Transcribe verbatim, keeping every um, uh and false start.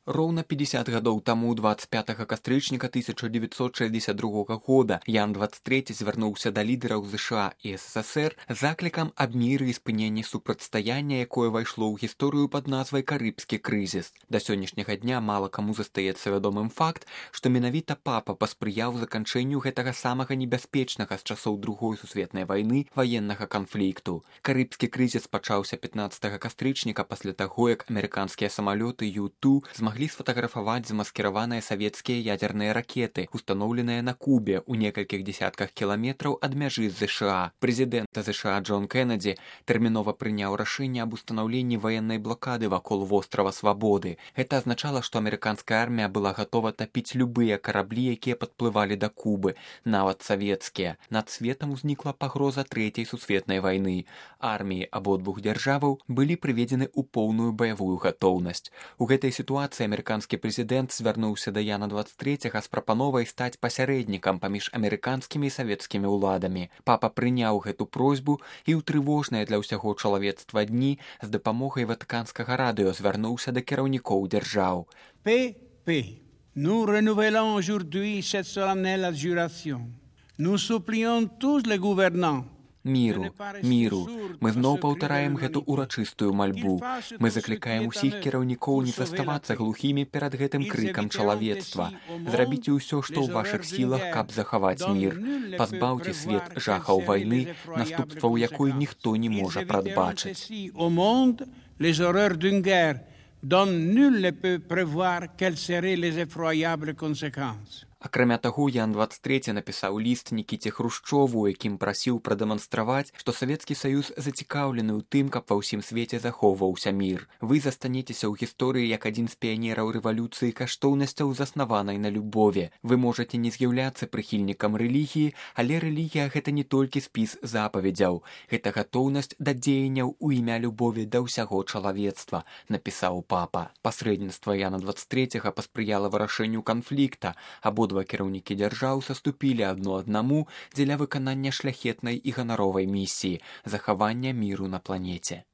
Роўна пятьдесят гадоў таму двадцать пятага кастрычніка тысяча девятьсот шестьдесят другога года Ян двадцать трэці звярнуўся да лідараў ЗША і СССР з заклікам аб міры і спыненні супрацьстаяння, якое ўвайшло ў гісторыю пад назвай карыбскі крызіс. Да сённяшняга дня мала каму застаецца вядомым факт, што менавіта папа паспрыяў заканчэнню гэтага самага небяспечнага з часоў другой сусветнай вайны ваеннага канфлікту. Карыбскі крызіс пачаўся пятнаццатага кастрычніка пасля таго, як амерыканскія самалёты Ю два змаглі сфотаграфаваць замаскіраваныя савецкія ядзерныя ракеты, устаноўленыя на Кубе ў некалькіх дзесятках кіламетраў ад мяжы з ЗША. Прэзідэнт ЗША Джон Кеннеді тэрмінова прыняў рашэнне аб устанаўленні ваеннай блакады вакол вострава Свабоды. Гэта азначала, што амерыканская армія была гатова тапіць любыя караблі, якія падплывалі да Кубы, нават савецкія. Над светам узнікла пагроза трэцяй сусветнай вайны. Арміі абодвух дзяржаваў былі прыведзены ў поўную баявую гатоўнасць. У гэтай сітуацыі амерыканскі прэзідэнт звярнуўся да Яна двадцать трэцяга з прапановай стаць пасярэднікам паміж амерыканскімі і савецкімі ўладамі. Папа прыняў гэту просьбу і ў трывожныя для ўсяго чалавецтва дні з дапамогай ватыканскага радыё звярнуўся да кіраўнікоў дзяржаў. P P. Nous renouvelons aujourd'hui cette solennelle adjuration. Nous supplions tous les gouvernants Міру, міру. Мы зноў паўтараем гэту урачыстую мальбу. Мы заклікаем усіх кіраўнікоў не заставацца глухімі перад гэтым крыкам чалавецтва. Зрабіце ўсё, што ў вашых сілах, каб захаваць мір. Пазбаўце свет жахаў вайны, наступстваў якой ніхто не можа прадбачыць. Les horreurs d'une guerre dont nul ne peut prévoir quelles seraient les effroyables conséquences. Акрамя таго, Ян двадцать трэці напісаў ліст Нікіце Хрушчову, якім прасіў прадэманстраваць, што Савецкі Саюз зацікаўлены ў тым, каб ва ўсім свеце захоўваўся мір. Вы застанецеся ў гісторыі як адзін з піянераў рэвалюцыі каштоўнасцяў, заснаванай на любові. Вы можаце не з'яўляцца прыхільнікам рэлігіі, але рэлігія гэта не толькі спіс запаведзяў. Гэта гатоўнасць да дзеянняў у імя любові да ўсяго чалавецтва, напісаў папа. Пасрэдніцтва Яна двадцать трэцяга паспрыяла вырашэнню канфлікта, або Два кіраўнікі дзяржаў саступілі адно аднаму дзеля выканання шляхетнай і ганаровай місіі – захавання міру на планеце.